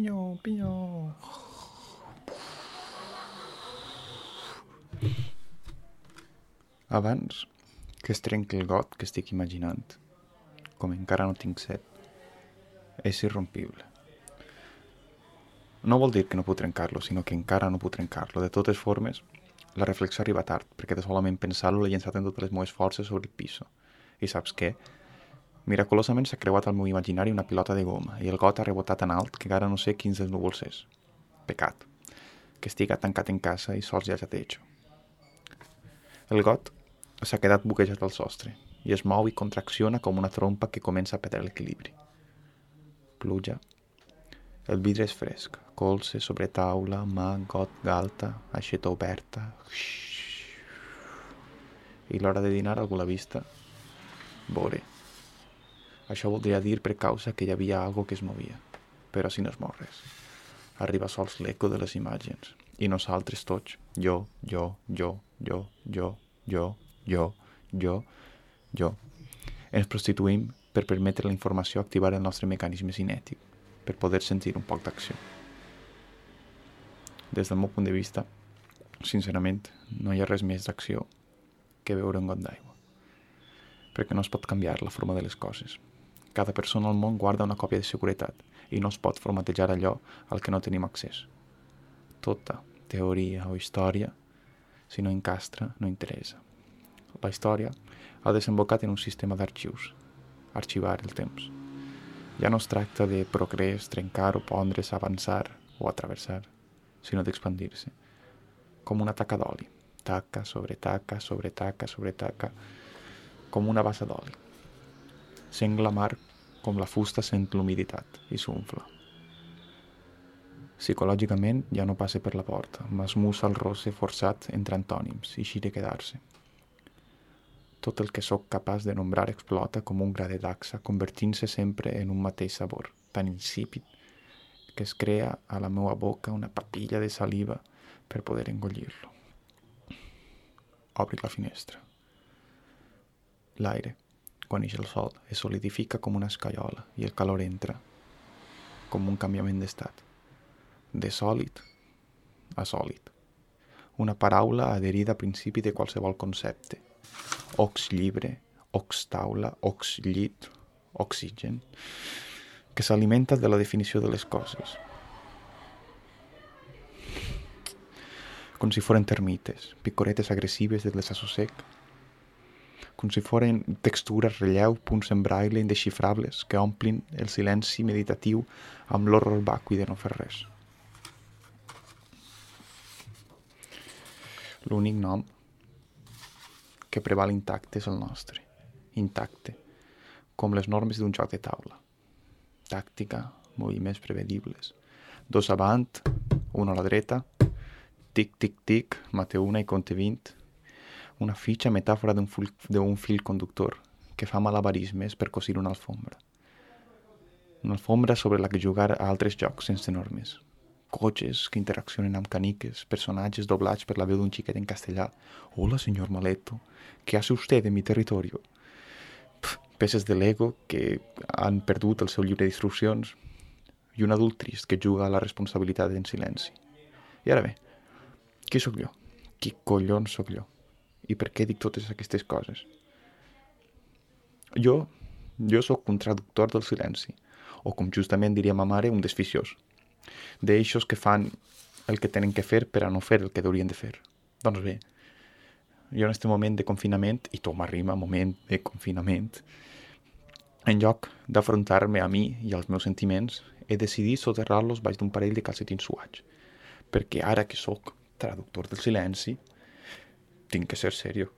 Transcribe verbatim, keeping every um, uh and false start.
Pinyó, pinyó. Abans que es trenqui el got que estic imaginant, com encara no tinc set, és irrompible. No vol dir que no puc trencar-lo, sinó que encara no puc trencar-lo. De totes formes, la reflexió arriba tard, perquè de solament pensar-lo l'he llençat amb totes les meves forces sobre el piso. I saps què? Miraculosament s'ha creuat al meu imaginari una pilota de goma i el got ha rebotat tan alt que encara no sé quins dels núvols és. Pecat. Que estiga tancat en casa i sols ja jatejo. El got s'ha quedat buquejat al sostre i es mou i contracciona com una trompa que comença a perdre l'equilibri. Pluja. El vidre és fresc. Colze, sobre taula, mà, got, galta, aixeta oberta. I l'hora de dinar algú la vista? Vore. Això voldria dir per causa que hi havia algo que es movia. Però si no es mou res. Arriba sols l'eco de les imatges. I nosaltres tots, jo, jo, jo, jo, jo, jo, jo, jo, jo, ens prostituïm per permetre la informació activar el nostre mecanisme cinètic, per poder sentir un poc d'acció. Des del meu punt de vista, sincerament, no hi ha res més d'acció que beure un got d'aigua. Perquè no es pot canviar la forma de les coses. Cada persona al món guarda una còpia de seguretat i no es pot formatejar allò al que no tenim accés. Tota teoria o història, si no encastra, no interessa. La història ha desembocat en un sistema d'arxius, arxivar el temps. Ja no es tracta de progrés, trencar o pondre's, avançar o atravessar, sinó d'expandir-se, com una taca d'oli, taca sobre taca, sobre taca, sobre taca, com una bassa d'oli. Sent la mar com la fusta sent l'humiditat i s'unfla. Psicològicament ja no passa per la porta, m'esmussa el rosse forçat entre antònims i xire quedar-se. Tot el que sóc capaç de nombrar explota com un gra de dacsa, convertint-se sempre en un mateix sabor, tan insípid que es crea a la meva boca una papilla de saliva per poder engollir-lo. Obri la finestra. L'aire, quan ix el sol, es solidifica com una escaiola i el calor entra com un canviament d'estat. De sòlid a sòlid. Una paraula adherida a principi de qualsevol concepte. Ox llibre, ox taula, ox llit, oxigen, que s'alimenta de la definició de les coses. Com si foren termites, picoretes agressives de desassossec, com si foren textures, relleu, punts en braille indexifrables que omplin el silenci meditatiu amb l'horror vacui de no fer res. L'únic nom que preval intacte és el nostre, intacte, com les normes d'un joc de taula. Tàctica, moviments prevedibles. Dos avant, un a la dreta, tic, tic, tic, mate una i compte vint. Una fitxa metàfora d'un fil, d'un fil conductor que fa malabarismes per cosir una alfombra. Una alfombra sobre la que jugar a altres jocs sense normes. Cotxes que interaccionen amb caniques, personatges doblats per la veu d'un xiquet en castellà. Hola, senyor Maleto, ¿qué hace usted en mi territorio? Pff, peces de Lego que han perdut el seu llibre d'instruccions i un adult trist que juga a la responsabilitat en silenci. I ara bé, qui sóc jo? Qui collons sóc jo? I per què dic totes aquestes coses? Jo, jo sóc un traductor del silenci, o com justament diria ma mare, un desficiós. D'eixos que fan el que tenen que fer per a no fer el que haurien de fer. Doncs bé, jo en aquest moment de confinament, i tot m'arriba, moment de confinament, en lloc d'afrontar-me a mi i als meus sentiments, he decidit soterrar-los baix d'un parell de calcetins suats, perquè ara que sóc traductor del silenci, tinc que ser serio.